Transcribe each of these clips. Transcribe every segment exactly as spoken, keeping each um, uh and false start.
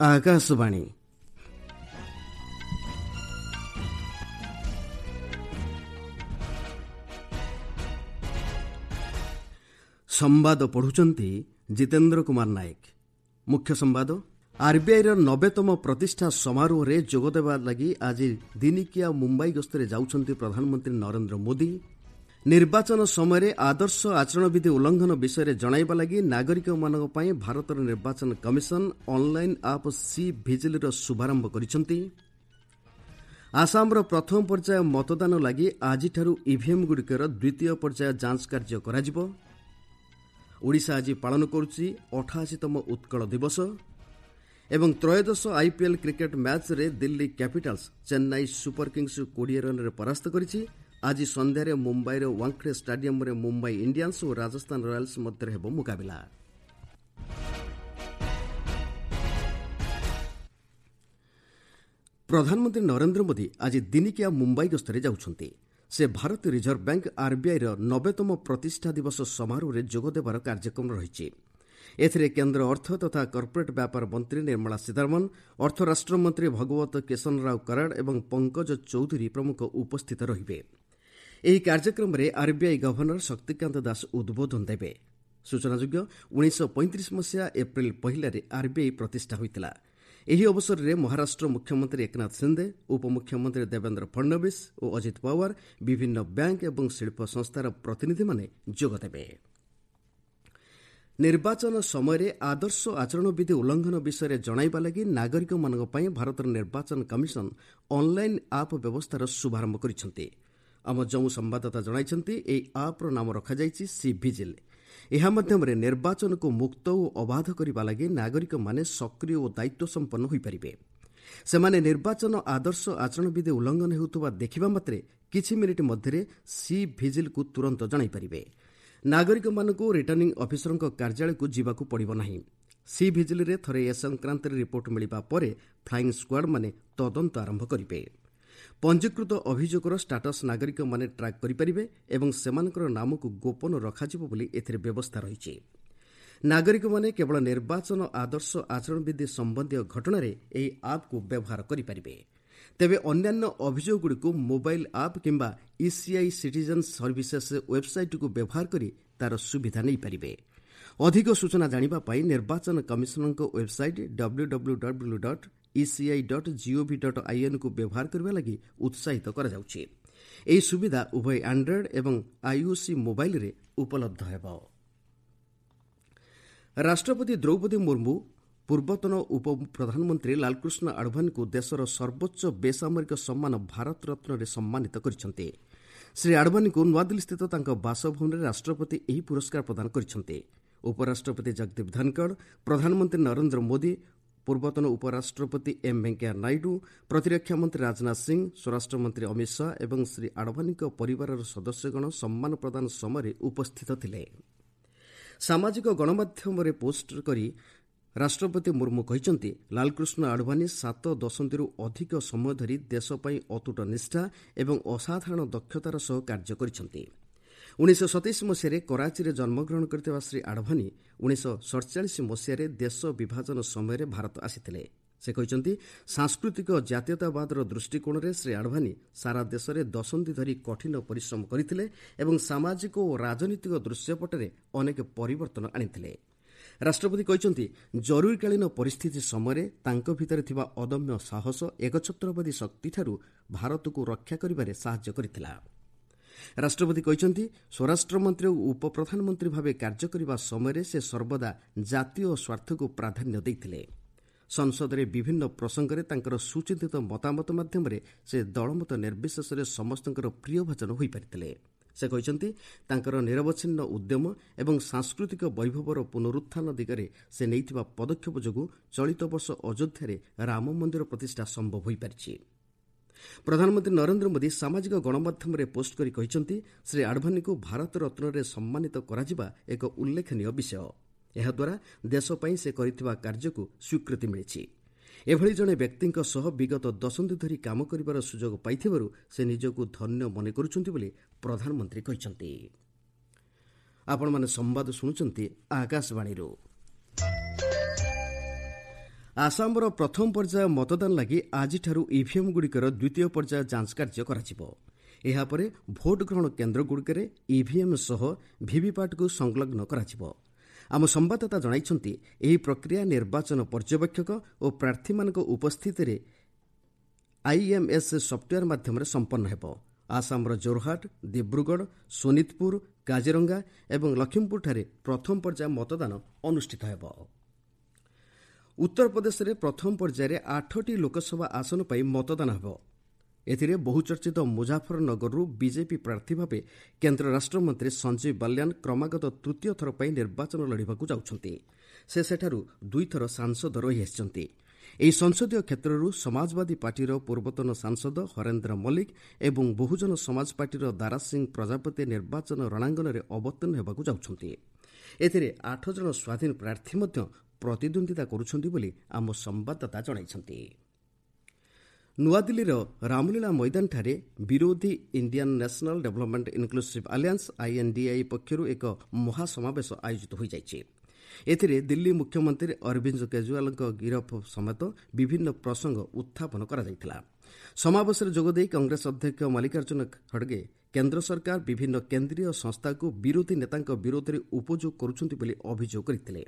ଆକାଶବାଣୀ। ସମ୍ବାଦ ପଢୁଛନ୍ତି ଜିତେନ୍ଦ୍ର କୁମାର ନାୟକ। ମୁଖ୍ୟ ସମ୍ବାଦ। ଆର୍ବିଆଇର ନବେତମ ପ୍ରତିଷ୍ଠା ସମାରୋହରେ ଯୋଗଦେବା ଲାଗି ଆଜି ଦିନିକିଆ ମୁମ୍ବାଇ ଗସ୍ତରେ ଯାଉଛନ୍ତି ପ୍ରଧାନମନ୍ତ୍ରୀ ନରେନ୍ଦ୍ର ମୋଦି। ନିର୍ବାଚନ ସମୟରେ ଆଦର୍ଶ ଆଚରଣବିଧି ଉଲ୍ଲଂଘନ ବିଷୟରେ ଜଣାଇବା ଲାଗି ନାଗରିକମାନଙ୍କ ପାଇଁ ଭାରତର ନିର୍ବାଚନ କମିଶନ ଅନ୍ଲାଇନ୍ ଆପ୍ ସି ଭିଜିଲ୍ର ଶୁଭାରମ୍ଭ କରିଛନ୍ତି। ଆସାମର ପ୍ରଥମ ପର୍ଯ୍ୟାୟ ମତଦାନ ଲାଗି ଆଜିଠାରୁ ଇଭିଏମ୍ଗୁଡ଼ିକର ଦ୍ୱିତୀୟ ପର୍ଯ୍ୟାୟ ଯାଞ୍ଚ କାର୍ଯ୍ୟ କରାଯିବ। ଓଡ଼ିଶା ଆଜି ପାଳନ କରୁଛି ଅଠାଅଶୀତମ ଉତ୍କଳ ଦିବସ। ଏବଂ ତ୍ରୟୋଦଶ ଆଇପିଏଲ୍ କ୍ରିକେଟ୍ ମ୍ୟାଚ୍ରେ ଦିଲ୍ଲୀ କ୍ୟାପିଟାଲ୍ସ ଚେନ୍ନାଇ ସୁପର କିଙ୍ଗ୍ସକୁ କୋଡ଼ିଏ ରନ୍ରେ ପରାସ୍ତ କରିଛି। ଆଜି ସନ୍ଧ୍ୟାରେ ମୁମ୍ବାଇର ୱାଙ୍ଖଡେ ଷ୍ଟାଡିୟମ୍ରେ ମୁମ୍ବାଇ ଇଣ୍ଡିଆନ୍ସ ଓ ରାଜସ୍ଥାନ ରୟାଲ୍ସ ମଧ୍ୟରେ ହେବ ମୁକାବିଲା। ପ୍ରଧାନମନ୍ତ୍ରୀ ନରେନ୍ଦ୍ର ମୋଦି ଆଜି ଦିନିକିଆ ମୁମ୍ବାଇ ଗସ୍ତରେ ଯାଉଛନ୍ତି। ସେ ଭାରତୀୟ ରିଜର୍ଭ ବ୍ୟାଙ୍କ ଆର୍ବିଆଇର ନବେତମ ପ୍ରତିଷ୍ଠା ଦିବସ ସମାରୋହରେ ଯୋଗଦେବାର କାର୍ଯ୍ୟକ୍ରମ ରହିଛି। ଏଥିରେ କେନ୍ଦ୍ର ଅର୍ଥ ତଥା କର୍ପୋରେଟ୍ ବ୍ୟାପାର ମନ୍ତ୍ରୀ ନିର୍ମଳା ସୀତାରମଣ, ଅର୍ଥ ରାଷ୍ଟ୍ରମନ୍ତ୍ରୀ ଭଗବତ କେଶନରାଓ କରାଡ ଏବଂ ପଙ୍କଜ ଚୌଧୁରୀ ପ୍ରମୁଖ ଉପସ୍ଥିତ ରହିବେ। ଏହି କାର୍ଯ୍ୟକ୍ରମରେ ଆର୍ବିଆଇ ଗଭର୍ଣ୍ଣର ଶକ୍ତିକାନ୍ତ ଦାସ ଉଦ୍ବୋଧନ ଦେବେ। ସୂଚନାଯୋଗ୍ୟ, ଉଣେଇଶହ ପଇଁତିରିଶ ମସିହା ଏପ୍ରିଲ ପହିଲାରେ ଆର୍ବିଆଇ ପ୍ରତିଷ୍ଠା ହୋଇଥିଲା। ଏହି ଅବସରରେ ମହାରାଷ୍ଟ୍ର ମୁଖ୍ୟମନ୍ତ୍ରୀ ଏକନାଥ ସିନ୍ଦେ, ଉପମୁଖ୍ୟମନ୍ତ୍ରୀ ଦେବେନ୍ଦ୍ର ଫଡ୍ନବୀସ ଓ ଅଜିତ ପାୱାର, ବିଭିନ୍ନ ବ୍ୟାଙ୍କ ଏବଂ ଶିଳ୍ପ ସଂସ୍ଥାର ପ୍ରତିନିଧିମାନେ ଯୋଗଦେବେ। ନିର୍ବାଚନ ସମୟରେ ଆଦର୍ଶ ଆଚରଣବିଧି ଉଲ୍ଲଂଘନ ବିଷୟରେ ଜଣାଇବା ଲାଗି ନାଗରିକମାନଙ୍କ ପାଇଁ ଭାରତର ନିର୍ବାଚନ କମିଶନ ଅନ୍ଲାଇନ୍ ଆପ୍ ବ୍ୟବସ୍ଥାର ଶୁଭାରମ୍ଭ କରିଛନ୍ତି। ଆମ ଜମ୍ମୁ ସମ୍ବାଦଦାତା ଜଣାଇଛନ୍ତି, ଏହି ଆପ୍ର ନାମ ରଖାଯାଇଛି ସି ଭିଜିଲ୍। ଏହା ମାଧ୍ୟମରେ ନିର୍ବାଚନକୁ ମୁକ୍ତ ଓ ଅବାଧ କରିବା ଲାଗି ନାଗରିକମାନେ ସକ୍ରିୟ ଓ ଦାୟିତ୍ୱ ସମ୍ପନ୍ନ ହୋଇପାରିବେ। ସେମାନେ ନିର୍ବାଚନ ଆଦର୍ଶ ଆଚରଣବିଧି ଉଲ୍ଲଂଘନ ହେଉଥିବା ଦେଖିବା ମାତ୍ରେ କିଛି ମିନିଟ୍ ମଧ୍ୟରେ ସି ଭିଜିଲ୍କୁ ତୁରନ୍ତ ଜଣାଇପାରିବେ। ନାଗରିକମାନଙ୍କୁ ରିଟର୍ଣ୍ଣିଂ ଅଫିସରଙ୍କ କାର୍ଯ୍ୟାଳୟକୁ ଯିବାକୁ ପଡ଼ିବ ନାହିଁ। ସି ଭିଜିଲ୍ରେ ଥରେ ଏ ସଂକ୍ରାନ୍ତରେ ରିପୋର୍ଟ ମିଳିବା ପରେ ଫ୍ଲାଇଂ ସ୍କ୍ୱାଡ୍ମାନେ ତଦନ୍ତ ଆରମ୍ଭ କରିବେ। ପଞ୍ଜୀକୃତ ଅଭିଯୋଗର ଷ୍ଟାଟସ୍ ନାଗରିକମାନେ ଟ୍ରାକ୍ କରିପାରିବେ ଏବଂ ସେମାନଙ୍କର ନାମକୁ ଗୋପନ ରଖାଯିବ ବୋଲି ଏଥିରେ ବ୍ୟବସ୍ଥା ରହିଛି। ନାଗରିକମାନେ କେବଳ ନିର୍ବାଚନ ଆଦର୍ଶ ଆଚରଣବିଧି ସମ୍ବନ୍ଧୀୟ ଘଟଣାରେ ଏହି ଆପ୍କୁ ବ୍ୟବହାର କରିପାରିବେ। ତେବେ ଅନ୍ୟାନ୍ୟ ଅଭିଯୋଗଗୁଡ଼ିକୁ ମୋବାଇଲ୍ ଆପ୍ କିମ୍ବା ଇସିଆଇ ସିଟିଜେନ୍ ସର୍ଭିସେସ୍ ୱେବ୍ସାଇଟ୍କୁ ବ୍ୟବହାର କରି ତା'ର ସୁବିଧା ନେଇପାରିବେ। ଅଧିକ ସୂଚନା ଜାଣିବା ପାଇଁ ନିର୍ବାଚନ କମିଶନଙ୍କ website W W W dot ECI dot GOV dot ଆଇଏନ୍କୁ ବ୍ୟବହାର କରିବା ଲାଗି ଉତ୍ସାହିତ କରାଯାଉଛି। ଏହି ସୁବିଧା ଉଭୟ ଆଣ୍ଡ୍ରଏଡ୍ ଏବଂ ଆଇଓସି ମୋବାଇଲ୍ରେ ଉପଲବ୍ଧ ହେବ। ରାଷ୍ଟ୍ରପତି ଦ୍ରୌପଦୀ ମୁର୍ମୁ ପୂର୍ବତନ ଉପପ୍ରଧାନମନ୍ତ୍ରୀ ଲାଲକୃଷ୍ଣ ଆଡଭାନୀଙ୍କୁ ଦେଶର ସର୍ବୋଚ୍ଚ ବେସାମରିକ ସମ୍ମାନ ଭାରତରତ୍ନରେ ସମ୍ମାନିତ କରିଛନ୍ତି। ଶ୍ରୀ ଆଡଭାନୀଙ୍କୁ ନୂଆଦିଲ୍ଲୀସ୍ଥିତ ତାଙ୍କ ବାସଭବନରେ ରାଷ୍ଟ୍ରପତି ଏହି ପୁରସ୍କାର ପ୍ରଦାନ କରିଛନ୍ତି। ଉପରାଷ୍ଟ୍ରପତି ଜଗଦୀପ ଧନଖଡ଼, ପ୍ରଧାନମନ୍ତ୍ରୀ ନରେନ୍ଦ୍ର ମୋଦି, ପୂର୍ବତନ ଉପରାଷ୍ଟ୍ରପତି ଏମ୍ ଭେଙ୍କୟା ନାଇଡୁ, ପ୍ରତିରକ୍ଷା ମନ୍ତ୍ରୀ ରାଜନାଥ ସିଂ, ସ୍ୱରାଷ୍ଟ୍ରମନ୍ତ୍ରୀ ଅମିତ ଶାହା ଏବଂ ଶ୍ରୀ ଆଡଭାନୀଙ୍କ ପରିବାରର ସଦସ୍ୟଗଣ ସମ୍ମାନ ପ୍ରଦାନ ସମୟରେ ଉପସ୍ଥିତ ଥିଲେ। ସାମାଜିକ ଗଣମାଧ୍ୟମରେ ପୋଷ୍ଟ କରି ରାଷ୍ଟ୍ରପତି ମୁର୍ମୁ କହିଛନ୍ତି, ଲାଲକୃଷ୍ଣ ଆଡଭାନୀ ସାତ ଦଶନ୍ଧିରୁ ଅଧିକ ସମୟ ଧରି ଦେଶ ପାଇଁ ଅତୁଟ ନିଷ୍ଠା ଏବଂ ଅସାଧାରଣ ଦକ୍ଷତାର ସହ କାର୍ଯ୍ୟ କରିଛନ୍ତି। ଉଣେଇଶହ ସତେଇଶ ମସିହାରେ କରାଚିରେ ଜନ୍ମଗ୍ରହଣ କରିଥିବା ଶ୍ରୀ ଆଡଭାନୀ ଉଣେଇଶହ ସଡ଼ଚାଳିଶ ମସିହାରେ ଦେଶ ବିଭାଜନ ସମୟରେ ଭାରତ ଆସିଥିଲେ। ସେ କହିଛନ୍ତି, ସାଂସ୍କୃତିକ ଜାତୀୟତାବାଦର ଦୃଷ୍ଟିକୋଣରେ ଶ୍ରୀ ଆଡଭାନୀ ସାରା ଦେଶରେ ଦଶନ୍ଧି ଧରି କଠିନ ପରିଶ୍ରମ କରିଥିଲେ ଏବଂ ସାମାଜିକ ଓ ରାଜନୈତିକ ଦୃଶ୍ୟପଟରେ ଅନେକ ପରିବର୍ତ୍ତନ ଆଣିଥିଲେ। ରାଷ୍ଟ୍ରପତି କହିଛନ୍ତି, ଜରୁରୀକାଳୀନ ପରିସ୍ଥିତି ସମୟରେ ତାଙ୍କ ଭିତରେ ଥିବା ଅଦମ୍ୟ ସାହସ ଏକଛତ୍ରବାଦୀ ଶକ୍ତିଠାରୁ ଭାରତକୁ ରକ୍ଷା କରିବାରେ ସାହାଯ୍ୟ କରିଥିଲା। ରାଷ୍ଟ୍ରପତି କହିଛନ୍ତି, ସ୍ୱରାଷ୍ଟ୍ରମନ୍ତ୍ରୀ ଓ ଉପପ୍ରଧାନମନ୍ତ୍ରୀ ଭାବେ କାର୍ଯ୍ୟ କରିବା ସମୟରେ ସେ ସର୍ବଦା ଜାତୀୟ ସ୍ୱାର୍ଥକୁ ପ୍ରାଧାନ୍ୟ ଦେଇଥିଲେ। ସଂସଦରେ ବିଭିନ୍ନ ପ୍ରସଙ୍ଗରେ ତାଙ୍କର ସୁଚିନ୍ତିତ ମତାମତ ମାଧ୍ୟମରେ ସେ ଦଳମତ ନିର୍ବିଶେଷରେ ସମସ୍ତଙ୍କର ପ୍ରିୟଭାଜନ ହୋଇପାରିଥିଲେ। ସେ କହିଛନ୍ତି, ତାଙ୍କର ନିରବଚ୍ଛିନ୍ନ ଉଦ୍ୟମ ଏବଂ ସାଂସ୍କୃତିକ ବୈଭବର ପୁନରୁତ୍ଥାନ ଦିଗରେ ସେ ନେଇଥିବା ପଦକ୍ଷେପ ଯୋଗୁଁ ଚଳିତ ବର୍ଷ ଅଯୋଧ୍ୟାରେ ରାମ ମନ୍ଦିର ପ୍ରତିଷ୍ଠା ସମ୍ଭବ ହୋଇପାରିଛି। ପ୍ରଧାନମନ୍ତ୍ରୀ ନରେନ୍ଦ୍ର ମୋଦି ସାମାଜିକ ଗଣମାଧ୍ୟମରେ ପୋଷ୍ଟ କରି କହିଛନ୍ତି, ଶ୍ରୀ ଆଡଭାନୀଙ୍କୁ ଭାରତ ରତ୍ନରେ ସମ୍ମାନିତ କରାଯିବା ଏକ ଉଲ୍ଲେଖନୀୟ ବିଷୟ। ଏହାଦ୍ୱାରା ଦେଶ ପାଇଁ ସେ କରିଥିବା କାର୍ଯ୍ୟକୁ ସ୍ୱୀକୃତି ମିଳିଛି। ଏଭଳି ଜଣେ ବ୍ୟକ୍ତିଙ୍କ ସହ ବିଗତ ଦଶନ୍ଧି ଧରି କାମ କରିବାର ସୁଯୋଗ ପାଇଥିବାରୁ ସେ ନିଜକୁ ଧନ୍ୟ ମନେ କରୁଛନ୍ତି ବୋଲି ପ୍ରଧାନମନ୍ତ୍ରୀ କହିଛନ୍ତି। ଆପଣମାନେ ସମ୍ବାଦ ଶୁଣୁଛନ୍ତି ଆକାଶବାଣୀରୁ। ଆସାମର ପ୍ରଥମ ପର୍ଯ୍ୟାୟ ମତଦାନ ଲାଗି ଆଜିଠାରୁ ଇଭିଏମ୍ଗୁଡ଼ିକର ଦ୍ୱିତୀୟ ପର୍ଯ୍ୟାୟ ଯାଞ୍ଚ କାର୍ଯ୍ୟ କରାଯିବ। ଏହାପରେ ଭୋଟ୍ ଗ୍ରହଣ କେନ୍ଦ୍ରଗୁଡ଼ିକରେ ଇଭିଏମ୍ ସହ ଭିଭିପାଟ୍କୁ ସଂଲଗ୍ନ କରାଯିବ। ଆମ ସମ୍ବାଦଦାତା ଜଣାଇଛନ୍ତି, ଏହି ପ୍ରକ୍ରିୟା ନିର୍ବାଚନ ପର୍ଯ୍ୟବେକ୍ଷକ ଓ ପ୍ରାର୍ଥୀମାନଙ୍କ ଉପସ୍ଥିତିରେ ଆଇଏମ୍ଏସ୍ ସଫ୍ଟୱେୟାର ମାଧ୍ୟମରେ ସମ୍ପନ୍ନ ହେବ। ଆସାମର ଜୋରହାଟ, ଦିବ୍ରୁଗଡ଼, ସୋନିତପୁର, କାଜିରଙ୍ଗା ଏବଂ ଲଖିମପୁରଠାରେ ପ୍ରଥମ ପର୍ଯ୍ୟାୟ ମତଦାନ ଅନୁଷ୍ଠିତ ହେବ। ଉତ୍ତରପ୍ରଦେଶରେ ପ୍ରଥମ ପର୍ଯ୍ୟାୟରେ ଆଠଟି ଲୋକସଭା ଆସନ ପାଇଁ ମତଦାନ ହେବ। ଏଥିରେ ବହୁଚର୍ଚ୍ଚିତ ମୁଜାଫରନଗରରୁ ବିଜେପି ପ୍ରାର୍ଥୀ ଭାବେ କେନ୍ଦ୍ର ରାଷ୍ଟ୍ରମନ୍ତ୍ରୀ ସଞ୍ଜୀବ ବାଲ୍ୟାନ କ୍ରମାଗତ ତୃତୀୟ ଥର ପାଇଁ ନିର୍ବାଚନ ଲଢ଼ିବାକୁ ଯାଉଛନ୍ତି। ସେ ସେଠାରୁ ଦୁଇଥର ସାଂସଦ ରହିଆସିଛନ୍ତି। ଏହି ସଂସଦୀୟ କ୍ଷେତ୍ରରୁ ସମାଜବାଦୀ ପାର୍ଟିର ପୂର୍ବତନ ସାଂସଦ ହରେନ୍ଦ୍ର ମଲ୍ଲିକ ଏବଂ ବହୁଜନ ସମାଜ ପାର୍ଟିର ଦାରା ସିଂ ପ୍ରଜାପତି ନିର୍ବାଚନ ରଣାଙ୍ଗନରେ ଅବତୀର୍ଣ୍ଣ ହେବାକୁ ଯାଉଛନ୍ତି। ଏଥିରେ ଆଠ ଜଣ ସ୍ୱାଧୀନ ପ୍ରାର୍ଥୀ ମଧ୍ୟ ପ୍ରତିଦ୍ୱନ୍ଦ୍ୱିତା କରୁଛନ୍ତି ବୋଲି ଆମ ସମ୍ବାଦଦାତା ଜଣାଇଛନ୍ତି। ନୂଆଦିଲ୍ଲୀର ରାମଲୀଳା ମଇଦାନଠାରେ ବିରୋଧୀ Indian National Development Inclusive Alliance INDI ପକ୍ଷରୁ ଏକ ମହାସମାବେଶ ଆୟୋଜିତ ହୋଇଯାଇଛି। ଏଥିରେ ଦିଲ୍ଲୀ ମୁଖ୍ୟମନ୍ତ୍ରୀ ଅରବିନ୍ଦ କେଜରିୱାଲଙ୍କ ଗିରଫ ସମେତ ବିଭିନ୍ନ ପ୍ରସଙ୍ଗ ଉତ୍ଥାପନ କରାଯାଇଥିଲା। ସମାବେଶରେ ଯୋଗଦେଇ କଂଗ୍ରେସ ଅଧ୍ୟକ୍ଷ ମଲ୍ଲିକାର୍ଜୁନ ଖଡ଼ଗେ କେନ୍ଦ୍ର ସରକାର ବିଭିନ୍ନ କେନ୍ଦ୍ରୀୟ ସଂସ୍ଥାକୁ ବିରୋଧୀ ନେତାଙ୍କ ବିରୋଧରେ ଉପଯୋଗ କରୁଛନ୍ତି ବୋଲି ଅଭିଯୋଗ କରିଥିଲେ।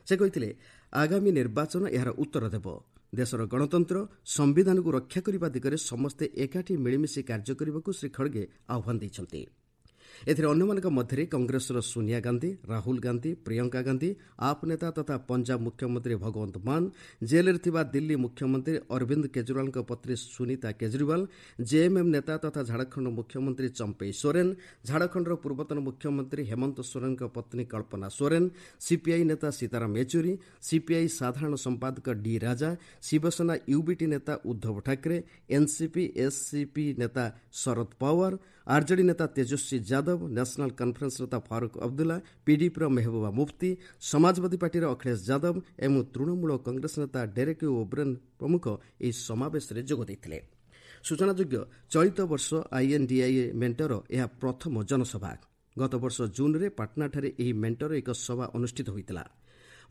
ସେ କହିଥିଲେ, ଆଗାମୀ ନିର୍ବାଚନ ଏହାର ଉତ୍ତର ଦେବ। ଦେଶର ଗଣତନ୍ତ୍ର, ସମ୍ବିଧାନକୁ ରକ୍ଷା କରିବା ଦିଗରେ ସମସ୍ତେ ଏକାଠି ମିଳିମିଶି କାର୍ଯ୍ୟ କରିବାକୁ ଶ୍ରୀ ଖଡ଼ଗେ ଆହ୍ୱାନ ଦେଇଛନ୍ତି। ଏଥିରେ ଅନ୍ୟମାନଙ୍କ ମଧ୍ୟରେ କଂଗ୍ରେସର ସୋନିଆ ଗାନ୍ଧୀ, ରାହୁଲ ଗାନ୍ଧୀ, ପ୍ରିୟଙ୍କା ଗାନ୍ଧୀ, ଆପ୍ ନେତା ତଥା ପଞ୍ଜାବ ମୁଖ୍ୟମନ୍ତ୍ରୀ ଭଗବନ୍ତ ମାନ, ଜେଲ୍ରେ ଥିବା ଦିଲ୍ଲୀ ମୁଖ୍ୟମନ୍ତ୍ରୀ ଅରବିନ୍ଦ କେଜରିୱାଲଙ୍କ ପତ୍ନୀ ସୁନୀତା କେଜରିୱାଲ, ଜେଏମ୍ଏମ୍ ନେତା ତଥା ଝାଡ଼ଖଣ୍ଡ ମୁଖ୍ୟମନ୍ତ୍ରୀ ଚମ୍ପେଇ ସୋରେନ, ଝାଡ଼ଖଣ୍ଡର ପୂର୍ବତନ ମୁଖ୍ୟମନ୍ତ୍ରୀ ହେମନ୍ତ ସୋରେନଙ୍କ ପତ୍ନୀ କଳ୍ପନା ସୋରେନ, ସିପିଆଇ ନେତା ସୀତାରାମ ୟେଚୁରୀ, ସିପିଆଇ ସାଧାରଣ ସମ୍ପାଦକ ଡି ରାଜା, ଶିବସେନା ୟୁବିଟି ନେତା ଉଦ୍ଧବ ଠାକରେ, ଏନ୍ସିପି ଏସ୍ସିପି ନେତା ଶରଦ ପାୱାର, ଆର୍ଜେଡି ନେତା ତେଜସ୍ୱୀ ଯାଦବ, ନ୍ୟାସନାଲ କନଫରେନ୍ସ ନେତା ଫାରୁକ୍ ଅବଦୁଲ୍ଲା, ପିଡିପିର ମେହବୁବା ମୁଫ୍ତି, ସମାଜବାଦୀ ପାର୍ଟିର ଅଖିଳେଶ ଯାଦବ ଏବଂ ତୃଣମୂଳ କଂଗ୍ରେସ ନେତା ଡେରେକ୍ ଓବ୍ରେନ୍ ପ୍ରମୁଖ ଏହି ସମାବେଶରେ ଯୋଗ ଦେଇଥିଲେ। ସୂଚନାଯୋଗ୍ୟ, ଚଳିତ ବର୍ଷ ଆଇଏନ୍ଡିଆଇଏ ମେଣ୍ଟର ଏହା ପ୍ରଥମ ଜନସଭା। ଗତବର୍ଷ ଜୁନ୍ରେ ପାଟନାଠାରେ ଏହି ମେଣ୍ଟର ଏକ ସଭା ଅନୁଷ୍ଠିତ ହୋଇଥିଲା।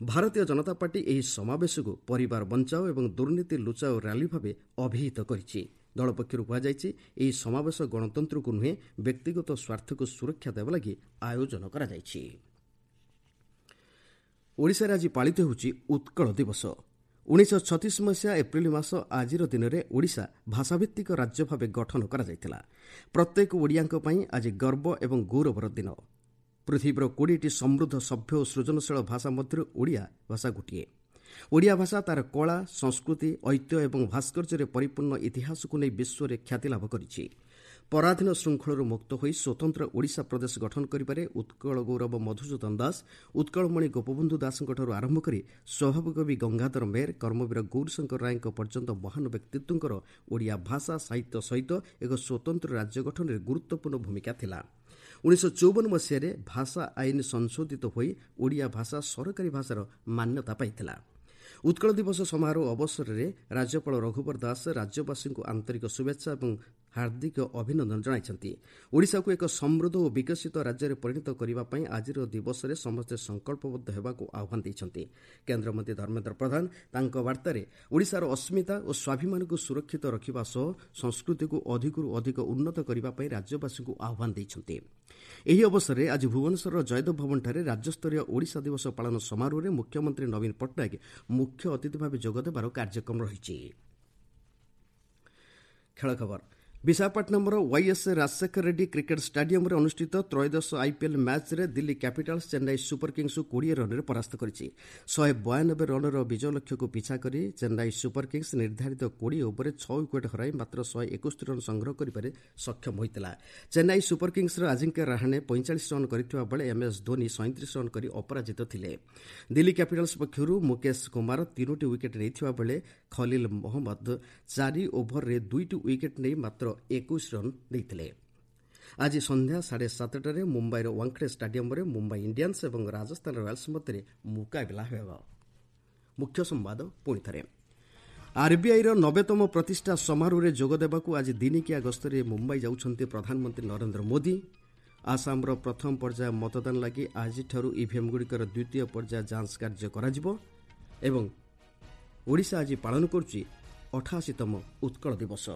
ଭାରତୀୟ ଜନତା ପାର୍ଟି ଏହି ସମାବେଶକୁ ପରିବାର ବଞ୍ଚାଅ ଏବଂ ଦୁର୍ନୀତି ଲୁଚାଅ ର୍ୟାଲି ଭାବେ ଅଭିହିତ କରିଛି। ଦଳ ପକ୍ଷରୁ କୁହାଯାଇଛି, ଏହି ସମାବେଶ ଗଣତନ୍ତ୍ରକୁ ନୁହେଁ, ବ୍ୟକ୍ତିଗତ ସ୍ୱାର୍ଥକୁ ସୁରକ୍ଷା ଦେବା ଲାଗି ଆୟୋଜନ କରାଯାଇଛି। ଓଡ଼ିଶାରେ ଆଜି ପାଳିତ ହେଉଛି ଉତ୍କଳ ଦିବସ। ଉଣେଇଶହ ଛତିଶ ମସିହା ଏପ୍ରିଲ ମାସ ଆଜିର ଦିନରେ ଓଡ଼ିଶା ଭାଷାଭିତ୍ତିକ ରାଜ୍ୟ ଭାବେ ଗଠନ କରାଯାଇଥିଲା। ପ୍ରତ୍ୟେକ ଓଡ଼ିଆଙ୍କ ପାଇଁ ଆଜି ଗର୍ବ ଏବଂ ଗୌରବର ଦିନ। ପୃଥିବୀର କୋଡ଼ିଏଟି ସମୃଦ୍ଧ, ସଭ୍ୟ ଓ ସୃଜନଶୀଳ ଭାଷା ମଧ୍ୟରୁ ଓଡ଼ିଆ ଭାଷା ଗୋଟିଏ। ଓଡ଼ିଆ ଭାଷା ତା'ର କଳା, ସଂସ୍କୃତି, ଐତିହ୍ୟ ଏବଂ ଭାସ୍କର୍ଯ୍ୟରେ ପରିପୂର୍ଣ୍ଣ ଇତିହାସକୁ ନେଇ ବିଶ୍ୱରେ ଖ୍ୟାତି ଲାଭ କରିଛି। ପରାଧୀନ ଶୃଙ୍ଖଳରୁ ମୁକ୍ତ ହୋଇ ସ୍ୱତନ୍ତ୍ର ଓଡ଼ିଶା ପ୍ରଦେଶ ଗଠନ କରିବାରେ ଉତ୍କଳ ଗୌରବ ମଧୁସୂଦନ ଦାସ, ଉତ୍କଳମଣି ଗୋପବନ୍ଧୁ ଦାସଙ୍କଠାରୁ ଆରମ୍ଭ କରି ସ୍ୱଭାବକବି ଗଙ୍ଗାଧର ମେହେର, କର୍ମବୀର ଗୌରୀଶଙ୍କର ରାୟଙ୍କ ପର୍ଯ୍ୟନ୍ତ ମହାନ ବ୍ୟକ୍ତିତ୍ୱଙ୍କର ଓଡ଼ିଆ ଭାଷା ସାହିତ୍ୟ ସହିତ ଏକ ସ୍ୱତନ୍ତ୍ର ରାଜ୍ୟ ଗଠନରେ ଗୁରୁତ୍ୱପୂର୍ଣ୍ଣ ଭୂମିକା ଥିଲା। ଉଣେଇଶହ ଚଉବନ ମସିହାରେ ଭାଷା ଆଇନ ସଂଶୋଧିତ ହୋଇ ଓଡ଼ିଆ ଭାଷା ସରକାରୀ ଭାଷାର ମାନ୍ୟତା ପାଇଥିଲା। ଉତ୍କଳ ଦିବସ ସମାରୋହ ଅବସରରେ ରାଜ୍ୟପାଳ ରଘୁବର ଦାସ ରାଜ୍ୟବାସୀଙ୍କୁ ଆନ୍ତରିକ ଶୁଭେଚ୍ଛା ଏବଂ ହାର୍ଦ୍ଦିକ ଅଭିନନ୍ଦନ ଜଣାଇଛନ୍ତି। ଓଡ଼ିଶାକୁ ଏକ ସମୃଦ୍ଧ ଓ ବିକଶିତ ରାଜ୍ୟରେ ପରିଣତ କରିବା ପାଇଁ ଆଜିର ଦିବସରେ ସମସ୍ତେ ସଂକଳ୍ପବଦ୍ଧ ହେବାକୁ ଆହ୍ୱାନ ଦେଇଛନ୍ତି। କେନ୍ଦ୍ରମନ୍ତ୍ରୀ ଧର୍ମେନ୍ଦ୍ର ପ୍ରଧାନ ତାଙ୍କ ବାର୍ତ୍ତାରେ ଓଡ଼ିଶାର ଅସ୍ମିତା ଓ ସ୍ୱାଭିମାନକୁ ସୁରକ୍ଷିତ ରଖିବା ସହ ସଂସ୍କୃତିକୁ ଅଧିକରୁ ଅଧିକ ଉନ୍ନତ କରିବା ପାଇଁ ରାଜ୍ୟବାସୀଙ୍କୁ ଆହ୍ୱାନ ଦେଇଛନ୍ତି। ଏହି ଅବସରରେ ଆଜି ଭୁବନେଶ୍ୱରର ଜୟଦେବ ଭବନଠାରେ ରାଜ୍ୟସ୍ତରୀୟ ଓଡ଼ିଶା ଦିବସ ପାଳନ ସମାରୋହରେ ମୁଖ୍ୟମନ୍ତ୍ରୀ ନବୀନ ପଟ୍ଟନାୟକ ମୁଖ୍ୟ ଅତିଥି ଭାବେ ଯୋଗଦେବାର କାର୍ଯ୍ୟକ୍ରମ ରହିଛି। ଖେଳ ଖବର। ବିଶାଖାପଟ୍ଟନମର ୱାଇଏସ୍ ରାଜଶେଖର ରେଡ୍ଡି କ୍ରିକେଟ୍ ଷ୍ଟାଡିୟମରେ ଅନୁଷ୍ଠିତ ତ୍ରୟୋଦଶ ଆଇପିଏଲ୍ ମ୍ୟାଚ୍ରେ ଦିଲ୍ଲୀ କ୍ୟାପିଟାଲ୍ସ ଚେନ୍ନାଇ ସୁପର କିଙ୍ଗସକୁ କୋଡ଼ିଏ ରନ୍ରେ ପରାସ୍ତ କରିଛି। ଶହେ ବୟାନବେ ରନ୍ର ବିଜୟ ଲକ୍ଷ୍ୟକୁ ପିଛା କରି ଚେନ୍ନାଇ ସୁପର କିଙ୍ଗସ୍ ନିର୍ଦ୍ଧାରିତ କୋଡ଼ିଏ ଓଭରରେ ଛଅ ୱିକେଟ୍ ହରାଇ ମାତ୍ର ଶହେ ଏକୋଇଶ ରନ୍ ସଂଗ୍ରହ କରିବାରେ ସକ୍ଷମ ହୋଇଥିଲା। ଚେନ୍ନାଇ ସୁପର କିଙ୍ଗସର ଆଜିଙ୍କ୍ୟ ରାହାଣେ ପଇଁଚାଳିଶ ରନ୍ କରିଥିବା ବେଳେ ଏମ୍ଏସ୍ ଧୋନି ସଇଁତିରିଶ ରନ୍ କରି ଅପରାଜିତ ଥିଲେ। ଦିଲ୍ଲୀ କ୍ୟାପିଟାଲ୍ସ ପକ୍ଷରୁ ମୁକେଶ କୁମାର ତିନୋଟି ୱିକେଟ୍ ନେଇଥିବା ବେଳେ ଖଲିଲ ମହମ୍ମଦ ଚାରି ଓଭରରେ ଦୁଇଟି ୱିକେଟ୍ ନେଇ ମାତ୍ର ଏକୋଇଶ ରନ୍ ଦେଇଥିଲେ। ଆଜି ସନ୍ଧ୍ୟା ସାଢ଼େ ସାତଟାରେ ମୁମ୍ବାଇର ୱାଙ୍ଗଡେ ଷ୍ଟାଡିୟମରେ ମୁମ୍ବାଇ ଇଣ୍ଡିଆନ୍ସ ଏବଂ ରାଜସ୍ଥାନ ରୟାଲ୍ସ ମଧ୍ୟରେ ମୁକାବିଲା ହେବ। ମୁଖ୍ୟ ସମ୍ବାଦ ପୁଣି ଥରେ। ଆର୍ବିଆଇର ନବେତମ ପ୍ରତିଷ୍ଠା ସମାରୋହରେ ଯୋଗଦେବାକୁ ଆଜି ଦିନିକିଆ ଗସ୍ତରେ ମୁମ୍ବାଇ ଯାଉଛନ୍ତି ପ୍ରଧାନମନ୍ତ୍ରୀ ନରେନ୍ଦ୍ର ମୋଦି। ଆସାମର ପ୍ରଥମ ପର୍ଯ୍ୟାୟ ମତଦାନ ଲାଗି ଆଜିଠାରୁ ଇଭିଏମ୍ଗୁଡ଼ିକର ଦ୍ୱିତୀୟ ପର୍ଯ୍ୟାୟ ଯାଞ୍ଚ କାର୍ଯ୍ୟ କରାଯିବ ଏବଂ ଓଡ଼ିଶା ଆଜି ପାଳନ କରୁଛି ଅଠାଅଶୀତମ ଉତ୍କଳ ଦିବସ।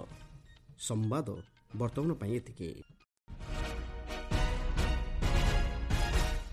ସମ୍ବାଦ ବର୍ତ୍ତମାନ ପାଇଁ ଏତିକି।